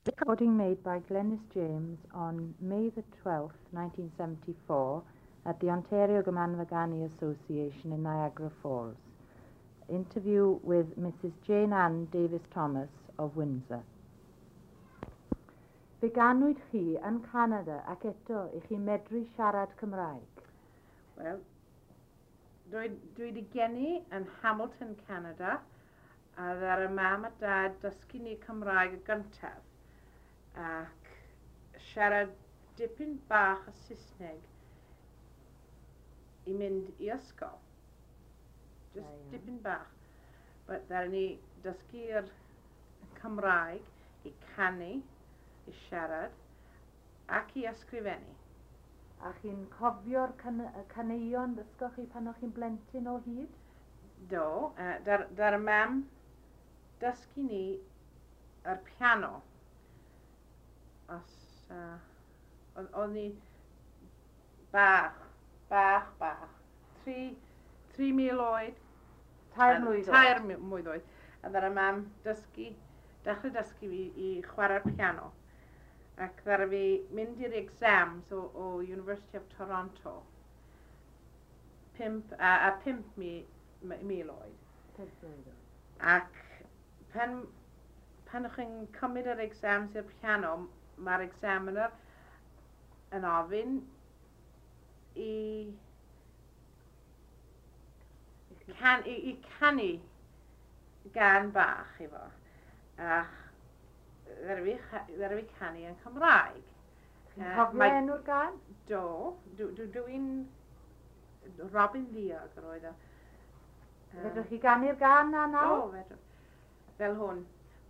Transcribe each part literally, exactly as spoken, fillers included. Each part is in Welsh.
Recording made by Glenys James on May the twelfth, nineteen seventy-four at the Ontario Gymanfa Ganu Association in Niagara Falls. Interview with Missus Jane Ann Davis Thomas of Windsor. Fe ganwyd chi yn Canada ac eto i chi medru siarad Cymraeg? Wel, dwi, dwi wedi geni yn Hamilton, Canada, a ddaru mam a dad dysgu ni Cymraeg y gyntaf ac siarad dipyn bach o Saesneg i mynd i ysgol. Just Da iawn. dipyn bach. But ddaru ni dysgu'r Cymraeg i canu, i siarad ac i ysgrifennu. A chi'n cofio'r can y caneuon ddysgoch chi pan o'ch chi'n blentyn o hyd? Do, uh, dar, dar y mam dysgu ni yr piano. Os, uh, oedd oedd ni bach, bach, bach. Tri, tri mil oed. Tair A- mlwydd Tair oed. mi- mlwydd oed. A ddaru mam dysgu, dechrau dysgu fi i chwarae'r piano. Ac ddaru fi mynd i'r exams o, o University of Toronto. Pump, a, a pump mi, mi- mil oed. Pump mlwydd oed. Ac pan, pan ych chi'n cymryd yr exams i'r piano, mae'r examiner yn ofyn i, can, i, i canu gan bach i fo. A ddaru fi, cha- ddaru fi canu yn Cymraeg. Chi'n Yy, cofio mae- enw'r gan? Do, dw- dw- dwi'n Robin Ddiog yr oedd o. Yym, Fedrwch chi ganu'r gan na nawr? Do, fedrwch. Fel hwn.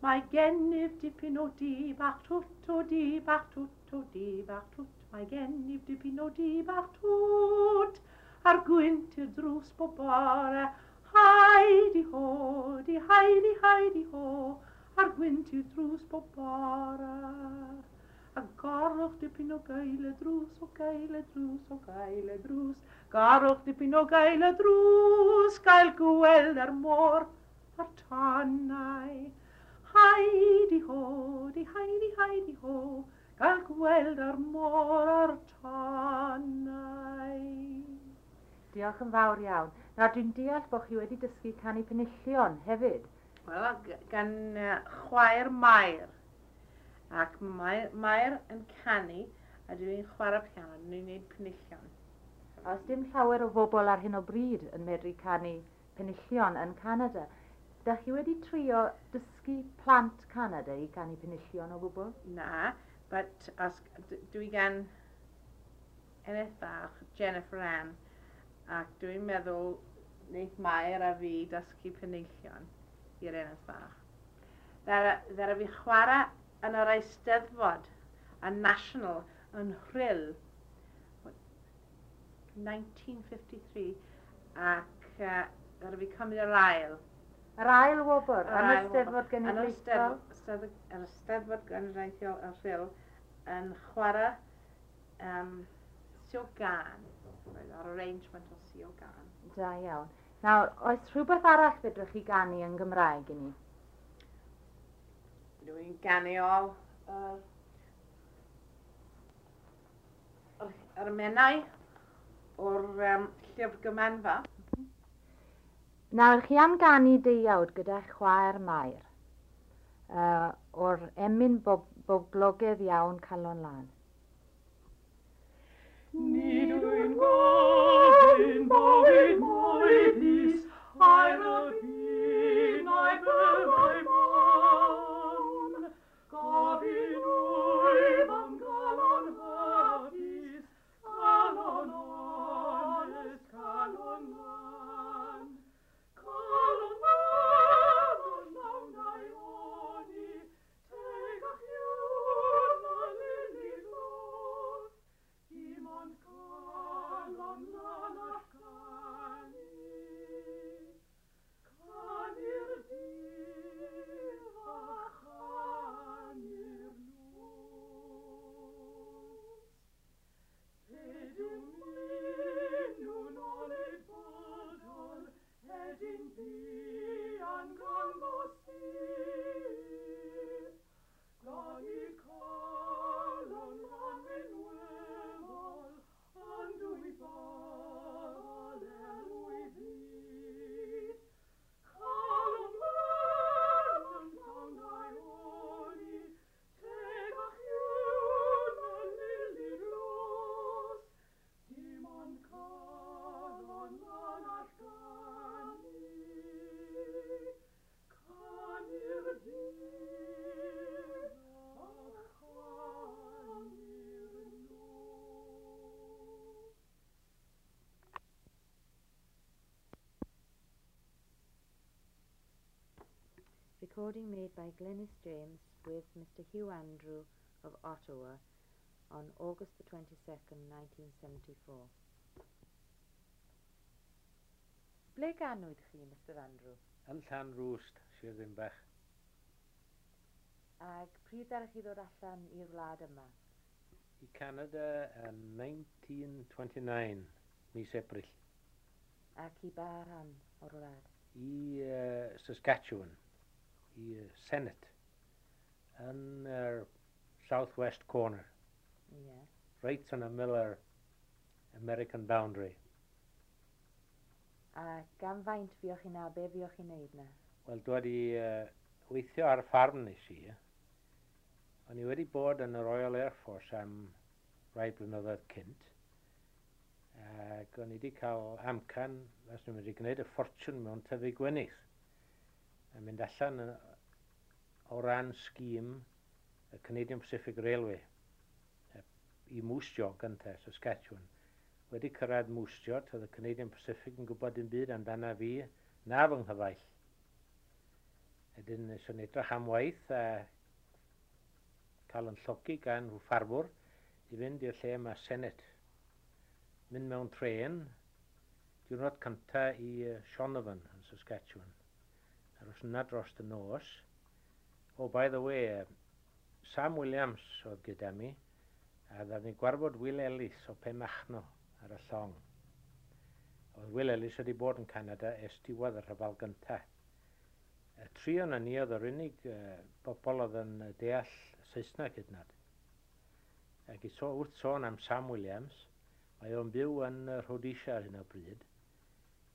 Mae gennyf dipyn o dŷ bach twt, o dŷ bach twt, o dŷ bach twt. Mae gennyf dipyn o dŷ bach twt. A'r gwynt i'r drws bob bore. Haidi ho, di haidi haidi ho. A'r gwynt i'r drws bob bore. A gorwch dipyn o gael y drws, o gael y drws, o gael y drws. Gorwch dipyn o gael y drws, gael gweld ar môr a'r tonnau. Haidi ho, di haidi haidi ho, gael gweld ar môr a'r tonnau. Diolch yn fawr iawn. Nawr dwi'n deall bod chi wedi dysgu canu penillion hefyd. Wel, g- gan uh, chwaer Mair. Ac mae Mair yn canu a dwi'n chwarae piano, dwi'n gwneud penillion. A oes dim llawer o bobl ar hyn o bryd yn medru canu penillion yn Canada. Dach chi wedi trio dysgu plant Canada i canu penillion o gwbl? Na, but as, d- dwi gan eneth bach, Jennifer Ann, ac dwi'n meddwl wneith Mair a fi dysgu penillion i'r eneth bach. Ddara, ddara fi chwarae yn yr Eisteddfod, y National, yn Rhyl, nineteen fifty-three, ac uh, ddara fi cymryd yr ail. Yr ail wobr Yr yn y ail wobr. Eisteddfod Yn yr Genedlaethol. Eisteddfod, Eisteddfod, yr Eisteddfod Genedlaethol yn Rhyl yn chwarae um, Siôl Gân. Roedd ar arrangement o Siôl Gân. Da iawn. Nawr, oes rhywbeth arall fedrwch chi ganu yn Gymraeg i ni? Dwi'n ganu o yr, yr, yr emynau o'r um, llyfr Gymanfa. Nawr, chi am ganu deuawd gyda chwaer Mair, uh, o'r emyn bob, boblogaidd iawn Calon Lân. Nid wy'n gofyn bywyd mwy tlws, aur y byd na'i byrddau mân. Gofyn wyf am galon hapus, calon onest, calon lân. Calon lân yn lawn daioni, tegach yw na lili'r goch. Dim ond calon lân all ganu. Recording made by Glenys James with Mister Hugh Andrew of Ottawa on August the twenty-second, nineteen seventy-four. Ble ganwyd chi, Mister Andrew? Yn Llanrwst, Sir Ddinbych. Ac pryd ddaru chi ddod allan i'r wlad yma? I Canada yn nineteen twenty-nine, mis Ebrill. Ac i ba rhan o'r wlad? I uh, Saskatchewan, i uh, Sennett, yn yr uh, southwest corner. Ie. Yeah. Right yn ymyl yr American boundary. A gan faint fuoch chi na, be fuoch chi'n neud na? Wel, dwi wedi uh, weithio ar ffarm nes i. O'n i wedi bod yn y Royal Air Force am rai blynyddoedd cynt. Ac o'n i wedi cael amcan, os nhw'n wedi gwneud y ffortiwn mewn tyfu gwenith. A mynd allan o ran scheme y Canadian Pacific Railway i Moose Jaw gyntaf, Saskatchewan. Wedi cyrraedd Moose Jaw, toedd y Canadian Pacific yn gwybod dim byd amdana fi na fy nghyfaill. Wedyn nes o'n edrych am waith a cael yn llogi gan rhyw ffarmwr i fynd i'r lle yma Sennett. Mynd mewn tren, diwrnod cynta i Shaunavon yn Saskatchewan. Aros yna dros y nos. Oh, by the way, Sam Williams oedd gyda mi, a ddaru ni gwarfod Will Ellis o Penmachno ar y llong. Oedd Will Ellis wedi bod yn Canada ers diwedd y rhyfel gyntaf. Y tri o'n ni oedd yr unig uh, bobl oedd yn deall Saesneg hyd yn oed. Ac i so, wrth sôn am Sam Williams, mae o'n byw yn Rhodesia ar hyn o bryd.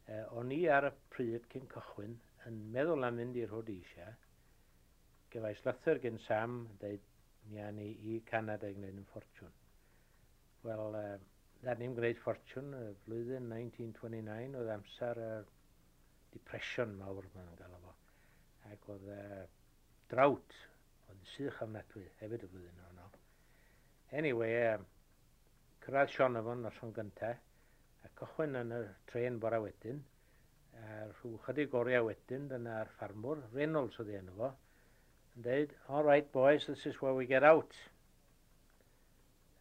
Uh, o'n i ar y pryd cyn cychwyn yn meddwl am fynd i Rhodesia. Gefais lythyr gen Sam, dweud mi â ni i Canada i gwneud yn ffortiwn. Wel, uh, ddaru ni'n gwneud ffortiwn y flwyddyn nineteen twenty-nine oedd amser y depression mawr maen nhw'n galw fo. Ac oedd uh, drought, oedd sych ofnadwy hefyd y flwyddyn honno. Anyway, uh, cyrraedd Shaunavon noson gyntaf, a cychwyn yn y tren bora wedyn, a rhyw chydig oriau wedyn, dyna'r ffarmwr, Reynolds oedd ei enw fo, yn dweud, "All right boys, this is where we get out."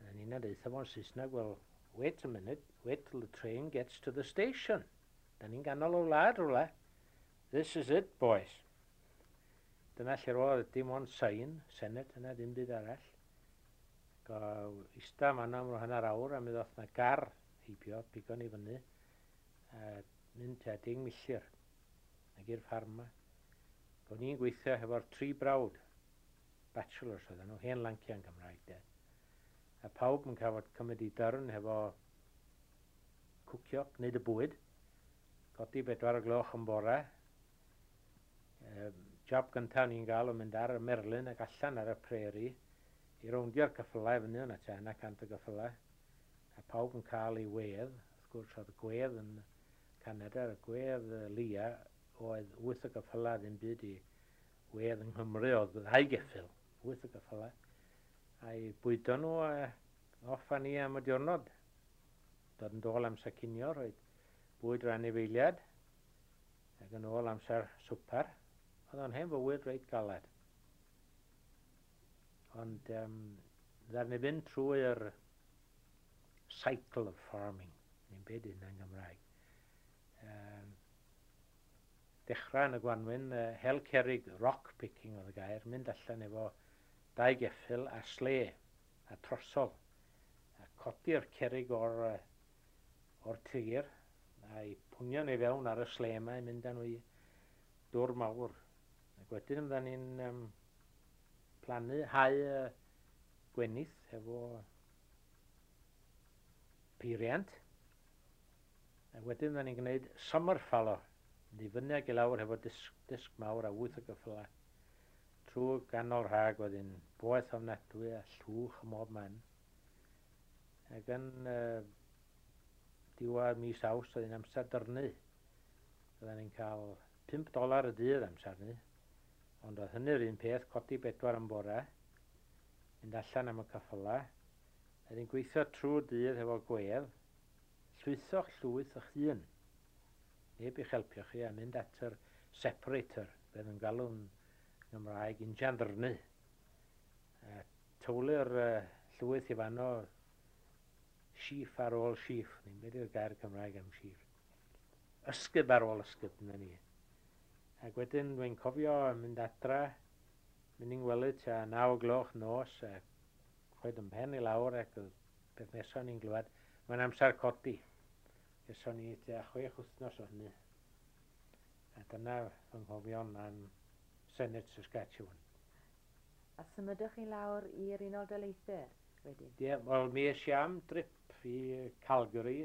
A ni'n dweud fo'n Saesneg, "Well, wait a minute, wait till the train gets to the station. Da ni'n ganol o wlad rhywle." "This is it, boys." Dyna lle roedd dim ond sign, Sennett yna, dim byd arall. Go ista fan'na am hanner awr a mi ddoth na gar heibio, pigo ni fyny, a mynd tua deng milltir ag i'r ffarm 'ma. O'n i'n gweithio hefo'r tri brawd, bachelors oedden nhw, hen lanciau'n Gymraeg de. A pawb yn cael cymryd i dyrn hefo cwcio, gwneud y bwyd, codi bedwar o gloch yn bore. Um, job gyntaf ni'n gael o'n mynd ar y merlyn ac allan ar y prairie i rowndio'r ceffylau fyny yna tua yna cant o geffylau. A pawb yn cael ei wedd, wrth gwrs oedd y gwedd yn Canada, y gwedd lia oedd wyth o geffylau, ddim byd i wedd yng Nghymru oedd ddau geffyl, wyth o geffylau. A'i bwydo nhw a off â ni am y diwrnod. Dod yn dôl amser cinio, rhoi bwyd i'r anifeiliad, ac yn ôl amser swper. Oedd o'n hen fywyd reit galed. Ond um, ddaru ni fynd trwy'r cycle of farming, ni'n byd hynna'n Gymraeg. Um, dechrau yn y gwanwyn, uh, hel cerig, rock picking oedd y gair, mynd allan efo dau geffyl a sle a trosol a codi'r cerig o'r, o'r tir a'i pwnio nhw i fewn ar y sle yma i mynd â nhw i dwr mawr. Ac wedyn fyddan ni'n um, plannu hau uh, gwenith efo peiriant. A wedyn fyddan ni'n gwneud summer fallow, mynd i fyny ag i lawr hefo disg, disg mawr a wyth o gyffylau. Trwy ganol rhag wedyn boeth ofnadwy a llwch ym mob man. Ac yn uh, diwedd mis Awst oedd hi'n amser dyrnu. Oedden ni'n cael pump dolar y dydd amser ni. Ond oedd hynny'r un peth, codi bedwar yn bore, mynd allan am y ceffylau. Oedd hi'n gweithio trwy'r dydd efo gwedd, llwytho'ch llwyth eich hun. Neb i'ch helpu chi a mynd at yr separator, bydd yn galw'n Gymraeg injan ddyrnu. A tywlu'r uh, llwyth i fanno sheaf ar ôl sheaf. Ni'n beth yw'r gair Cymraeg am sheaf? Ysgub ar ôl ysgub, na ni. Ac wedyn dwi'n cofio mynd adra, mynd i'n gwely tua naw o gloch nos, a rhoid yn pen i lawr ac oedd beth nesaf ni'n glywed, mae'n amser codi. Geson ni tua chwech wythnos o hynny. A dyna fy nghofion am Senate Saskatchewan. A symudwch chi lawr i'r Unol Daleithiau wedyn? Ie, yeah, wel mi es i am drip i Calgary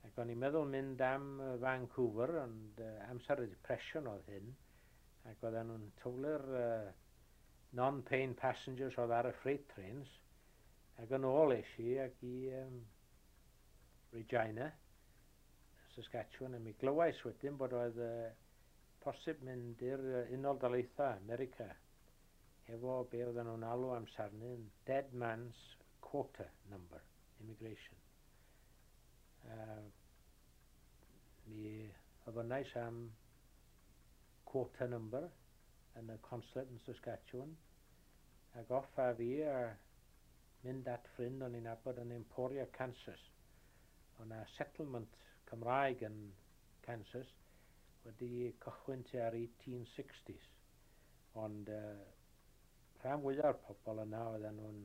ac o'n i'n meddwl mynd am Vancouver, ond uh, amser y Depression oedd hyn, ac oedden nhw'n tywlu'r uh, non-paying passengers oedd ar y freight trains, ac yn ôl es i ac i um, Regina, Saskatchewan, a mi glywais wedyn bod oedd uh, posib mynd i'r Unol Daleithiau, America, efo be oedden nhw'n alw amser 'ny yn Dead Man's Quota Number, Immigration. Uh, mi ofynnais am quota number yn y consulate yn Saskatchewan, ac off a fi a mynd at ffrind o'n i'n nabod yn Emporia, Kansas. O'na 'na settlement Cymraeg yn Kansas wedi cychwyn tua'r eighteen sixties. Ond uh, rhan fwyaf o'r pobl yna oedden nhw'n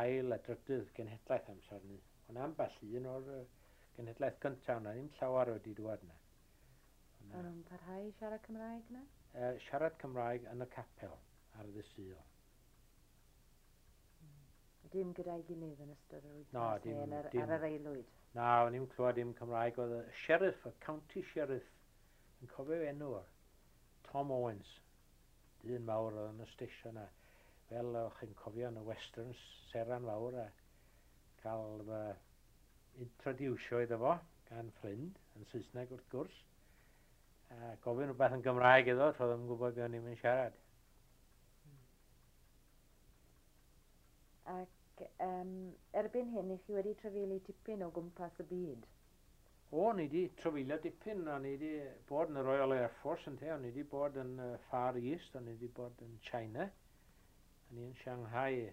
ail a drydydd genhedlaeth amser 'ny. Ond ambell un o'r uh, genhedlaeth gyntaf yna, ddim llawer wedi dŵad yna. O'n nhw'n parhau i siarad Cymraeg yna? Uh, siarad Cymraeg yn y capel ar ddydd Sul. Dim gyda'i gilydd yn ystod yr wythnos No, dim, neu yn yr, dim. ar yr aelwyd? Na, o'n i'n clywed dim Cymraeg. Oedd y sheriff, y county sheriff, yn cofio enw o, Tom Owens, dyn mawr oedd yn y station a fel o'ch chi'n cofio yn y westerns, seran fawr a cael fy introducio iddo fo gan ffrind, yn Saesneg wrth gwrs, a gofyn rhywbeth yn Gymraeg iddo, troedd ddim yn gwybod beth o'n i'n mynd siarad. Ac um, erbyn hyn, i chi wedi trafeili tipyn o gwmpas y byd? O, ni wedi trafeilio dipyn, o'n i wedi bod yn y Royal Air Force yn te, o'n i wedi bod yn uh, Far East, o'n i wedi bod yn China, o'n i yn Shanghai,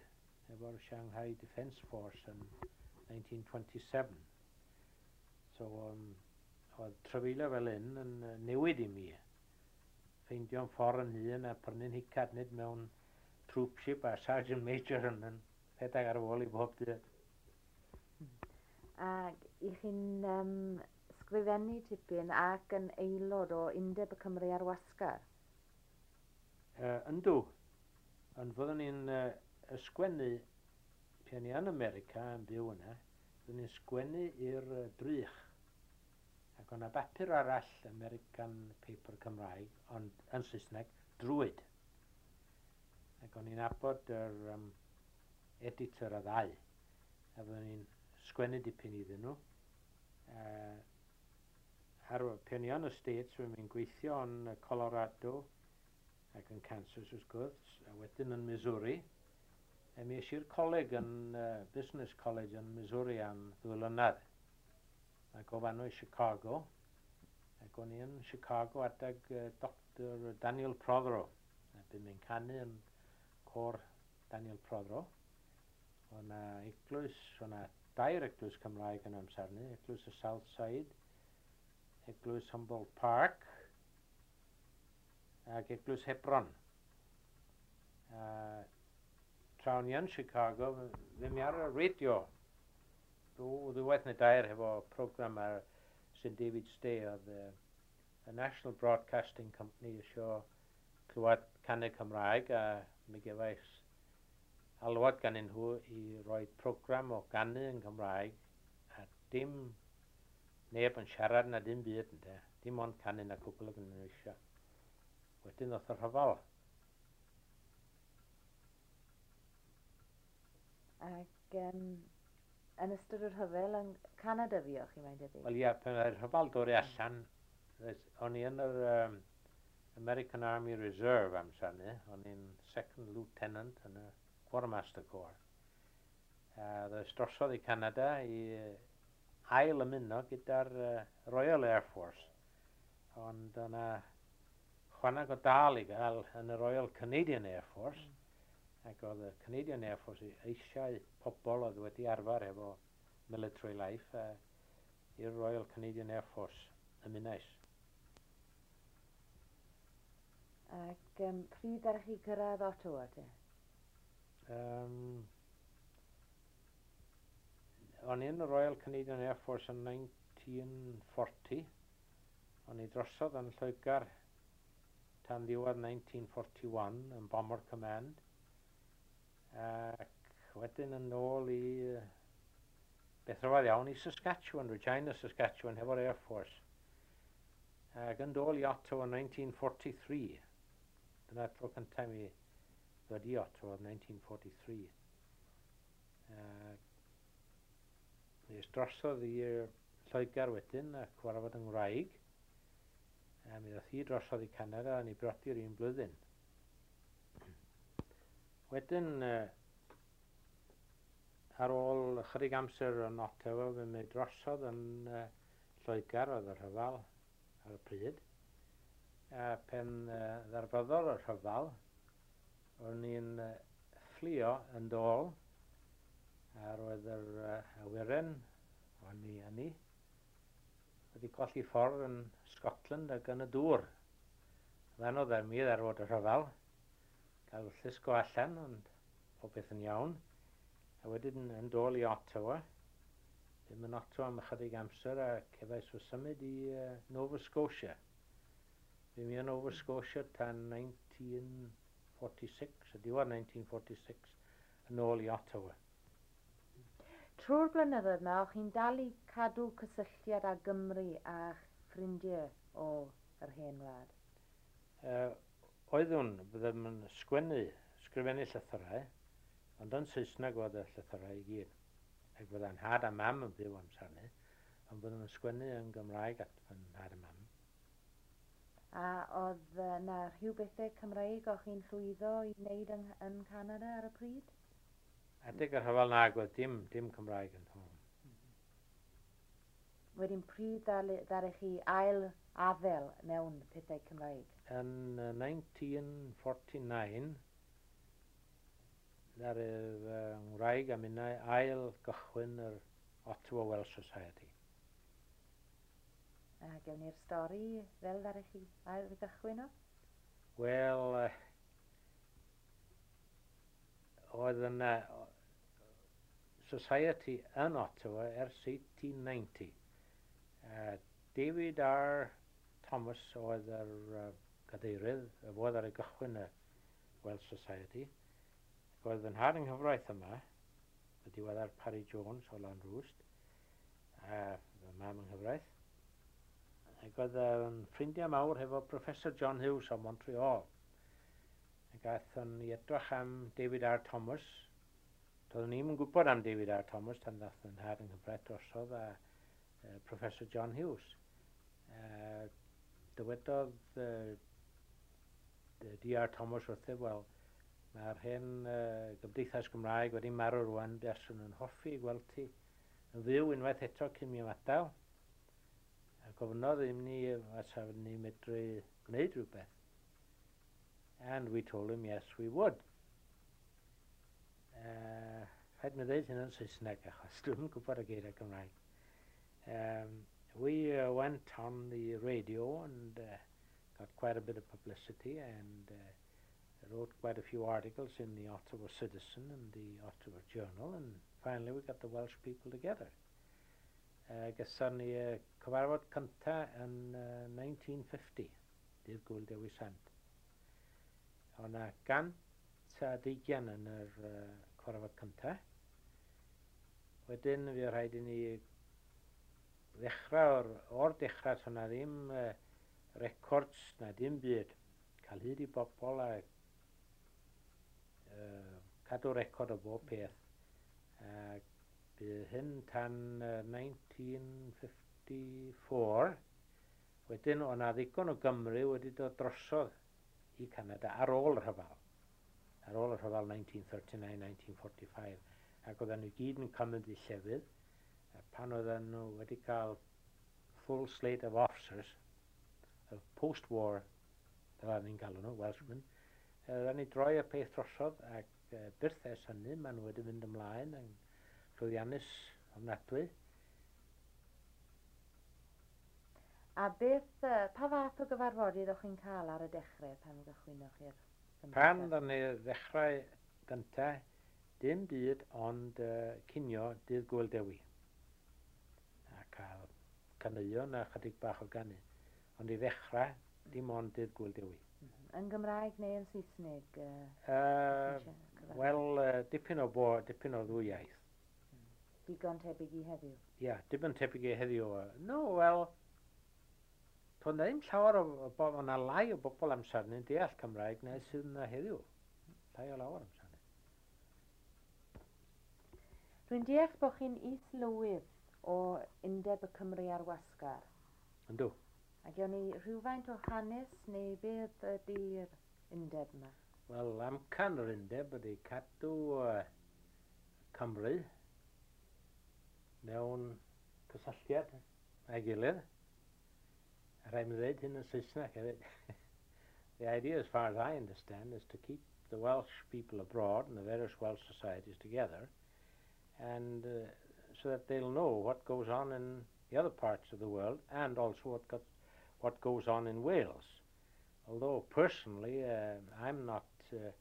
efo'r Shanghai Defence Force yn nineteen twenty-seven. So, um, oedd trafeilio fel hyn yn uh, newid i mi. Ffeindio'n ffordd yn hun a prynu'n hicad, nid mewn troopship a Sergeant Major yn, yn rhedeg ar ôl i bob dydd. Ac i chi'n um, sgrifennu tipyn ac yn aelod o Undeb y Cymru ar Wasgar? Uh, yndw. Ond fyddwn ni'n uh, ysgwennu, pan ni yn America yn byw yna, fyddwn ni'n sgwennu i'r uh, Drych. Ac o'na bapur arall, American Paper Cymraeg, ond yn Saesneg, Druid. Ac o'n i'n nabod yr um, editor y ddau. A fyddwn ni'n sgwennu dipyn iddyn nhw. Uh, ar pan i yn y States, fyddwn ni'n gweithio yn Colorado ac yn Kansas wrth gwrs, a wedyn yn Missouri. A mi es i'r coleg yn uh, Business College yn Missouri am ddwy flynedd. Ac o fanno i Chicago. Ac o'n i yn Chicago adeg uh, Doctor Daniel Prothero. A bu'n mynd canu yn côr Daniel Prothero. O'na eglwys, o'na dair eglwys Cymraeg yn amser 'ny, eglwys y South Side, eglwys Humboldt Park, ac eglwys Hebron. A tra o'n i yn Chicago, ddim ar y radio. Ddwywaith neu dair hefo program ar Saint David's Day oedd y, y National Broadcasting Company isio clywed canu Cymraeg, a mi gefais alwad gan nhw i roi program o ganu yn Cymraeg a dim neb yn siarad na dim byd ynde. Dim ond canu na cwbl ag nhw eisiau. Wedyn ddoth y rhyfel. Ac um, yn ystod y rhyfel yn Canada fuoch chi, mae'n debyg? Wel ia, pan oedd y rhyfel dod i allan, o'n i yn yr um, American Army Reserve amser 'ny, o'n i'n second lieutenant yn y Quartermaster Corps. A ddoes drosodd i Canada i ail ymuno gyda'r uh, Royal Air Force. Ond o'na Ychwaneg o dal i gael yn y Royal Canadian Air Force, mm. ac oedd y Canadian Air Force eisiau pobl oedd wedi arfer efo military life uh, i'r Royal Canadian Air Force ymunais. Ac um, pryd ddaru chi cyrraedd Ottawa te? Um, o'n i yn y Royal Canadian Air Force yn nineteen forty. O'n i drosodd yn Lloegr tan ddiwedd nineteen forty-one yn Bomber Command. Ac wedyn yn ôl i beth rhyfedd iawn i Saskatchewan, Regina, Saskatchewan, hefo'r Air Force. Ac yn dôl i Ottawa yn nineteen forty-three. Dyna'r tro cyntaf i mi ddod i Ottawa yn nineteen forty-three. Mi es drosodd i Lloegr wedyn a cyfarfod yng Ngwraig. A mi ddoth hi drosodd i Canada a ni briodi'r un blwyddyn. Wedyn, ar ôl ychydig amser yn Ottawa, fe mi drosodd yn Lloegr, oedd y rhyfel ar y pryd. A pen ddarfyddol y rhyfel, o'n i'n fflio yn dôl, a roedd yr awyren, o'n i yn i, wedi colli ffordd yn Scotland ac yn y dŵr. Oedd anodd ar mi ddarfod y rhyfel, cael llusgo allan, ond popeth yn iawn. A wedyn yn dôl i Ottawa, ddim yn Ottawa am ychydig amser, a cefais fy symud i uh, Nova Scotia. Fy mi yn Nova Scotia tan nineteen forty-six, y diwedd nineteen forty-six, yn ôl i Ottawa. Trwy'r blynyddoedd yma, o'ch chi'n dal i cadw cysylltiad â Gymru a ffrindiau o yr hen wlad? Uh, oeddwn, byddem yn sgwennu, sgrifennu llythyrau, ond yn Saesneg oedd y llythyrau i gyd. Ac fydda'n nhad a mam yn byw amser hynny, ond byddwn yn sgwennu yn Gymraeg at fy nhad a mam. A oedd yna rhyw bethau Cymraeg o'ch chi'n llwyddo i wneud yng, yn Canada ar y pryd? Adeg y rhyfel nag oedd dim, dim Cymraeg yn hwn. Wedyn pryd ddaru chi ail afel mewn pethau Cymraeg? Yn nineteen forty-nine, ddaru fy ngwraig a minnau ail gychwyn yr Ottawa Welsh Society. A gewn ni'r stori fel ddaru chi ail gychwyn o? Wel, uh, oedd yna Society yn Ottawa ers eighteen ninety. Uh, David R. Thomas oedd yr uh, cadeirydd, y fodd ar ei gychwyn y Welsh Society. Ac oedd fy nhad yng nghyfraith yma, y diweddar Parry Jones o Lanrwst, a fy mam yng nghyfraith. Ac oedd yn ffrindiau mawr hefo Professor John Hughes o Montreal. Ac aethon ni edrych am David R. Thomas. Doeddwn ni'm yn gwybod am David R. Thomas tan ddaeth yn nhad yng nghyfraith drosodd a uh, Professor John Hughes. Uh, dywedodd uh, D R Thomas wrthyf, wel, mae'r hen uh, Gymdeithas Gymraeg wedi marw rwan, buaswn yn hoffi gweld ti yn fyw unwaith eto cyn mi ymadael. A gofynnodd i ni os ni medru gwneud rhywbeth. And we told him yes, we would. Uh, rhaid mi ddeud hyn yn Saesneg achos dwi'm yn gwybod y geiriau Cymraeg. Um, we uh, went on the radio and uh, got quite a bit of publicity and uh, wrote quite a few articles in the Ottawa Citizen and the Ottawa Journal, and finally we got the Welsh people together. Uh, Gyson ni uh, cyfarfod cynta yn uh, nineteen fifty, dydd Gŵyl Dewi Sant. Oedd yna gant a deugain yn yr uh, cyfarfod cynta. Wedyn fi rhaid i ni ddechrau o'r, o'r dechrau, so na ddim uh, records na dim byd. Cael hyd i bobl a uh, cadw record o bob peth. Uh, bydd hyn tan uh, nineteen fifty-four. Wedyn oedd 'na ddigon o Gymru wedi dod drosodd i Canada ar ôl y rhyfel. Ar ôl y rhyfel nineteen thirty-nine nineteen forty-five. Ac oedden nhw gyd yn cymryd i llefydd. A pan oedden nhw wedi cael full slate of officers of post-war Fel ni'n galw nhw, Welshmen. Uh, Ddaru ni droi y peth drosodd ac uh, byth ers hynny, maen nhw wedi mynd ymlaen yn llwyddiannus ofnadwy. A beth, uh, pa fath o gyfarfodydd o'ch chi'n cael ar y dechrau pan gychwynnoch chi'r gymdeithas? Pan ddaru ni ddechrau gyntaf, dim byd ond uh, cinio dydd Gŵyl Dewi. A cael caneuon a chydig bach o ganu. Ond i ddechrau, dim ond dydd Gŵyl Dewi. Yn Gymraeg neu yn Saesneg? Uh, uh, Wel, uh, dipyn o bo, dipyn o ddwy iaith. Digon tebyg i heddiw? Ia, yeah, digon tebyg i heddiw. No, wel, toedd na ddim llawer o, o bobl, o'na lai o bobl amser ni'n deall Cymraeg na sydd yna heddiw. Llai o lawer amser ni. Rwy'n deall bod chi'n is-lywydd o Undeb y Cymry ar Wasgar. Yndw. A gewn ni rhywfaint o hanes neu beth ydy'r undeb yma? Wel, amcan yr undeb ydy cadw uh, Cymru mewn cysylltiad â'i gilydd. A rhaid mi ddweud hyn yn Saesneg hefyd. The idea, as far as I understand, is to keep the Welsh people abroad and the various Welsh societies together, and uh, so that they'll know what goes on in the other parts of the world and also what, got, what goes on in Wales. Although personally, uh, I'm not uh,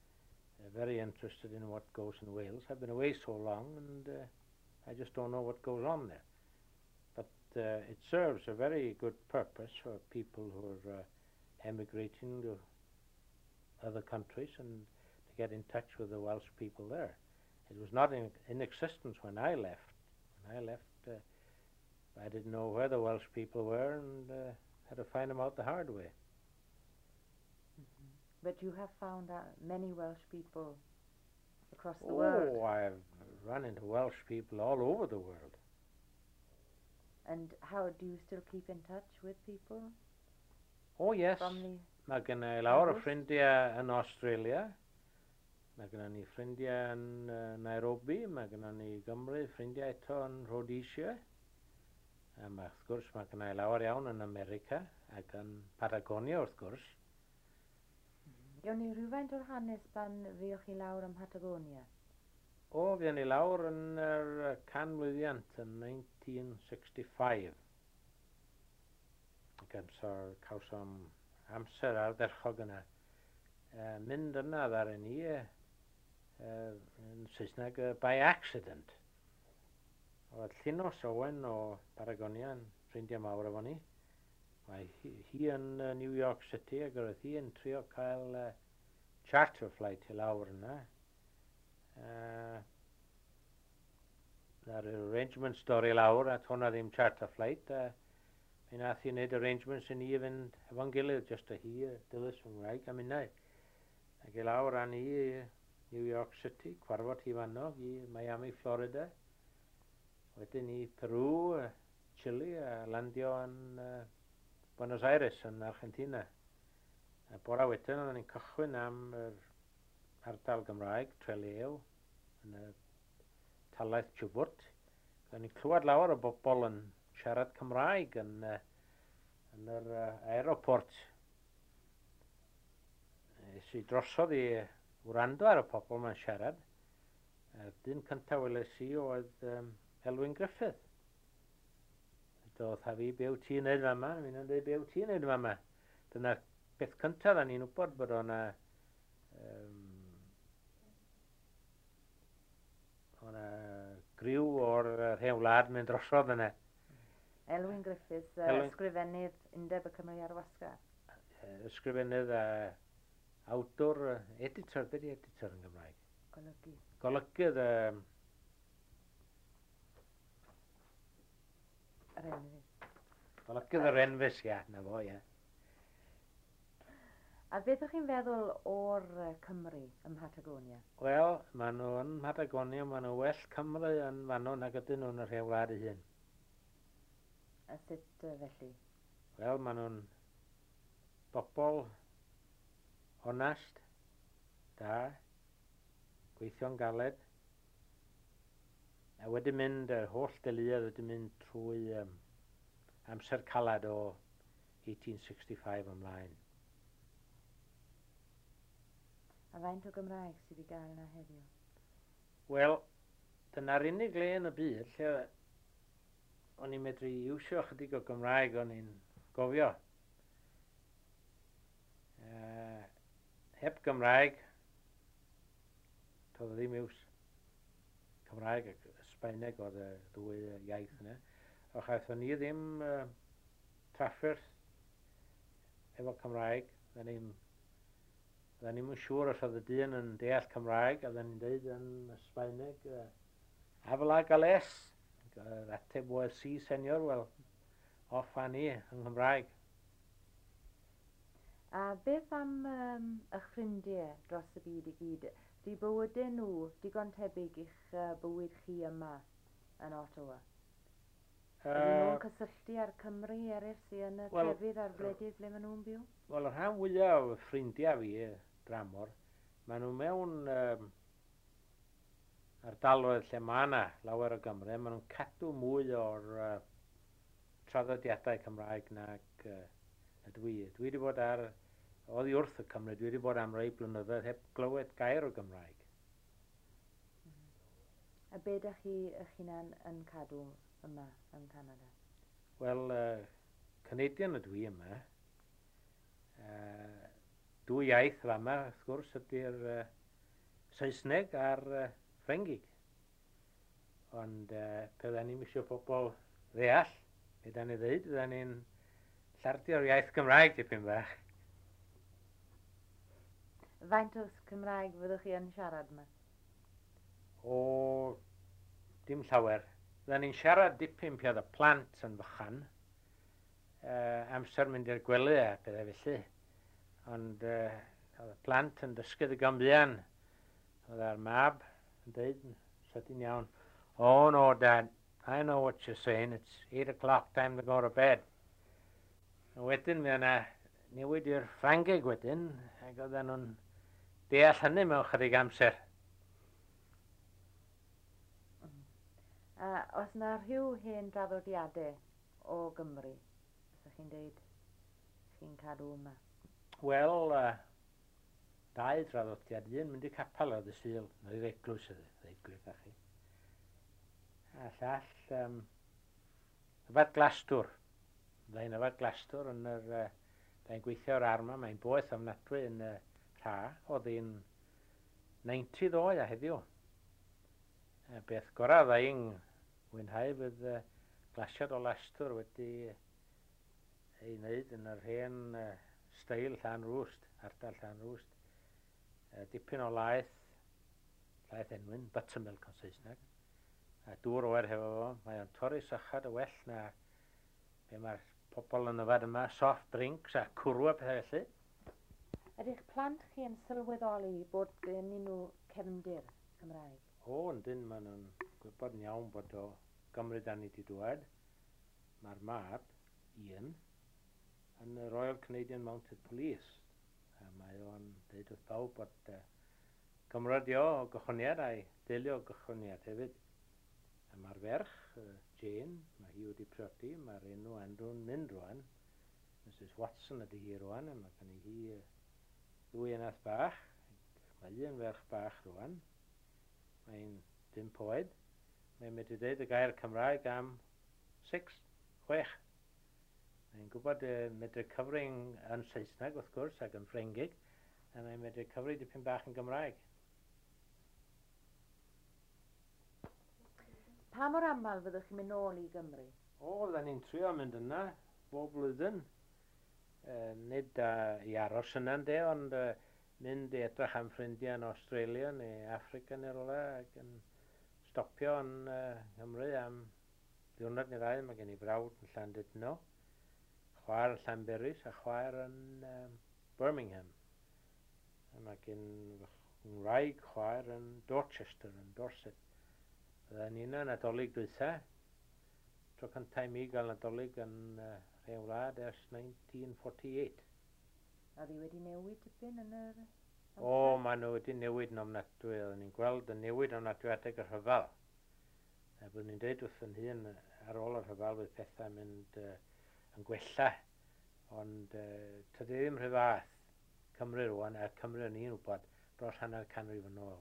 very interested in what goes in Wales. I've been away so long and uh, I just don't know what goes on there. But uh, it serves a very good purpose for people who are uh, emigrating to other countries and to get in touch with the Welsh people there. It was not in, in existence when I left. When I left, uh, I didn't know where the Welsh people were and uh, had to find them out the hard way. Mm-hmm. But you have found uh, many Welsh people across the oh, world. Oh, I've run into Welsh people all over the world. And how do you still keep in touch with people? Oh, yes. From the Mae gen i lawer o ffrindiau yn Australia. Mae gennym ni ffrindiau yn uh, Nairobi. Mae gennym ni Gymru, ffrindiau eto yn Rhodesia. A mae, wrth gwrs, mae gen i lawer iawn yn America ac yn Patagonia, wrth gwrs. Gewn ni rhywfaint o'r hanes pan fuoch chi lawr ym Mhatagonia? O, fuon ni lawr yn yr canmlwyddiant yn nineteen sixty-five. Ac amser cawsom amser ardderchog yna. Uh, mynd yna ddaru ni uh, yn Saesneg uh, by accident. Oedd Llinos Owen o Patagonia yn ffrindiau mawr efo ni. Mae hi, hi yn uh, New York City ac oedd hi yn trio cael uh, charter flight i lawr yna. Uh, Na'r arrangements dorri lawr a hwnna ddim charter flight. Uh, mi nath hi wneud arrangements i ni i fynd efo'n gilydd, just a hi, Dilys fy ngwraig a minnau. Ac i lawr â ni i New York City, cwarfod hi fanno i Miami, Florida. Wedyn i Peru, Chile a landio yn uh, Buenos Aires yn Argentina. A bora wedyn oedden ni'n cychwyn am yr ardal Gymraeg, Trelew, yn y talaith Chubut. Oedden ni'n clywed lawer o bobl yn siarad Cymraeg yn, uh, yn yr uh, aeroport. Es i drosodd i wrando ar y pobl ma'n siarad. A'r dyn cyntaf weles i oedd um, Elwyn Griffith. Doedd fi, be wyt ti'n neud fama? Mi'n dweud, be wyt ti'n neud fama? Dyna'r beth cyntaf da ni'n wybod bod o'na um, o'na griw o'r hen wlad mynd drosodd yna. Elwyn Griffiths, uh, Elwyn... ysgrifennydd Undeb y Cymry ar Wasgar. Ysgrifennydd a awdur, editor, beth ydy editor yn Gymraeg? Golygydd. Golygydd. Um, Yr Enfys. Golygydd yr Enfys, ia, na fo, ia. A beth ydych chi'n feddwl o'r Cymru ym Mhatagonia? Wel, maen nhw yn Mhatagonia, maen nhw well Cymru yn fanno nag ydyn nhw yn yr hen wlad ei hun. A sut felly? Wel, maen nhw'n bobl onast, da, gweithio'n galed, a wedi mynd, yr holl deuluoedd wedi mynd trwy um, amser calad o eighteen sixty-five ymlaen. A faint o Gymraeg sydd i gael yna heddiw? Wel, dyna'r unig le yn y byd lle o'n i'n medru iwsio chydig o Gymraeg o'n i'n gofio. Uh, heb Gymraeg, toedd o ddim iws. Cymraeg ac Sbaeneg oedd y ddwy iaith yna. A chaethon ni ddim uh, trafferth efo Cymraeg. Fydden ni'n fydden ni'm yn siŵr os oedd y dyn yn deall Cymraeg, a fydden ni'n deud yn Sbaeneg, uh, "Habla galés?" Yr ateb oedd, "Sí, señor." Wel, off â ni yng Nghymraeg. A beth am um, eich ffrindiau dros y byd i gyd? Di bywydau nhw digon tebyg i'ch uh, bywyd chi yma yn Ottawa? Ydyn nhw'n cysylltu â'r Cymry eraill sydd yn y Wel, trefydd a'r gwledydd ble maen nhw'n byw? Wel, y rhan fwyaf o ffrindiau fi dramor, maen nhw mewn um, ardaloedd lle mae yna lawer o Gymry, maen nhw'n cadw mwy o'r uh, traddodiadau Cymraeg nag uh, na dwi. Dwi wedi bod ar, oddi wrth y Cymry, dwi wedi bod am rai blynyddoedd heb glywed gair o Gymraeg. A be ydych chi eich hunan yn cadw yma yn Canada? Wel, uh, Canadian ydw i yma. Uh, dwy iaith fama, wrth gwrs, ydy'r uh, Saesneg a'r uh, Ffrengig. Ond uh, pe fydden ni'n eisiau pobl ddeall, be da ni ddeud, fydden ni'n llardio'r iaith Gymraeg dipyn bach. Faint o Cymraeg fyddwch chi yn siarad yma? O, dim llawer. Fydden ni'n siarad dipyn pe oedd y plant yn fychan, uh, amser mynd i'r gwely a pethau felly. Ond uh, oedd y plant yn dysgu ddigon buan. Oedd ar mab yn dweud yn sydyn iawn, "Oh no, Dad, I know what you're saying. It's eight o'clock, time to go to bed." A wedyn mi yna newid i'r Ffrangeg wedyn, ac oedden nhw'n deall hynny mewn chydig amser. A os na rhyw hen draddodiadau o Gymru, ydych chi'n deud chi'n cadw yma? Wel, uh, dau draddodiad. Un mynd i capel ar ddydd Sul, neu i'r eglwys, y ddeud gwir wrthach chi. A llall, um, yfad glasdwr. Byddai'n yfad glasdwr yn yr... Uh, Byddai'n gweithio o'r arma, mae'n boeth ofnadwy yn y rha. Oedd hi'n naw deg ddoe a heddiw. A beth gorau fyddai'n mwynhau fydd uh, glasiad o lastwr wedi ei wneud yn yr hen uh, steil Llanrwst, ardal Llanrwst. Uh, dipyn o laeth, llaeth enwyn, buttermilk yn Saesneg, a dŵr oer hefo fo. Mae o'n torri sychad y well na be mae'r pobl yn yfad yma, soft drinks a cwrw a pethau felly. Ydych plant chi yn sylweddoli bod gennyn nhw cefndir Cymraeg? O, yndyn, maen nhw'n gwybod yn iawn bod o Gymru dan ni wedi dŵad. Mae'r mab, Ian, yn y Royal Canadian Mounted Police. A mae o'n dweud wrth bawb bod uh, Cymro 'di o o gychwyniad a'i deulu o gychwyniad hefyd. A mae'r ferch, uh, Jane, mae hi wedi priodi, mae'r enw Andrew'n mynd rwan. Missus Watson ydy hi rwan, a mae gen hi uh, ddwy enath bach. Mae un ferch bach rwan. Mae'n bump oed. Mae'n medru dweud y gair Cymraeg am six, chwech. Mae'n gwybod uh, medru cyfri yn Saesneg, wrth gwrs, ac yn Ffrengig, a mae'n medru cyfri dipyn bach yn Gymraeg. Pa mor aml fyddwch chi'n mynd nôl i Gymru? O, fydden ni'n trio mynd yna bob blwyddyn. E, nid uh, i aros yna, de, ond uh, mynd i edrych am ffrindiau yn Australia neu Africa neu rywle ac yn stopio yn uh, Nghymru am ddiwrnod neu ddau. Mae gen i frawd yn Llandudno, chwaer yn Llanberis a chwaer yn um, Birmingham. A mae gen fy ngwraig chwaer yn Dorchester, yn Dorset. Fydden ni yna Nadolig dwytha. Tro cyntaf i mi gael Nadolig yn uh, rhen wlad ers mil naw chwe wyth. Oedd hi wedi newid tipyn yn yr O, maen nhw wedi newid yn ofnadwy. Oedden ni'n gweld y newid ofnadwy adeg y rhyfel. A byddwn ni'n dweud wrth yn hun ar ôl y rhyfel bydd pethau'n mynd uh, yn gwella. Ond uh, tydi ddim rhy fath Cymru rwan, a Cymru o'n i'n wybod dros hanner canrif yn ôl.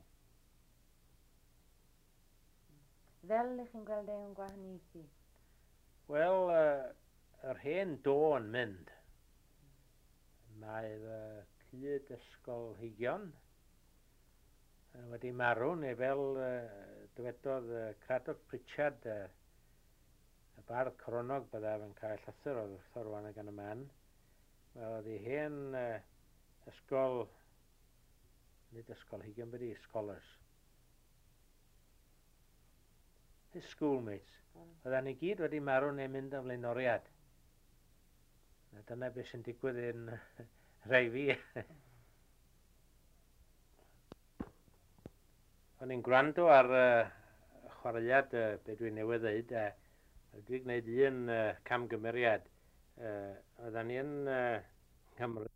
Fel ych chi'n gweld e'n gwahaniaethu? Wel, uh, yr hen do yn mynd. Mae fy cyd ysgolheigion wedi marw, neu fel uh, dywedodd uh, Cradock Pritchard, uh, y bardd coronog, byddaf yn cael llythyr o'r wrtho rwan gan y man. Wel, oedd ei hen uh, ysgol, nid ysgolheigion, byddi, scholars. His schoolmates. Oedden ni gyd wedi marw neu mynd yn flaenoriad. Na dyna beth sy'n digwydd yn rhai fi. O'n i'n gwrando ar uh, chwaraead uh, be dwi'n newydd ddeud, a uh, dwi'n gwneud un uh, camgymeriad. Uh, oedden ni yn uh, Nghymru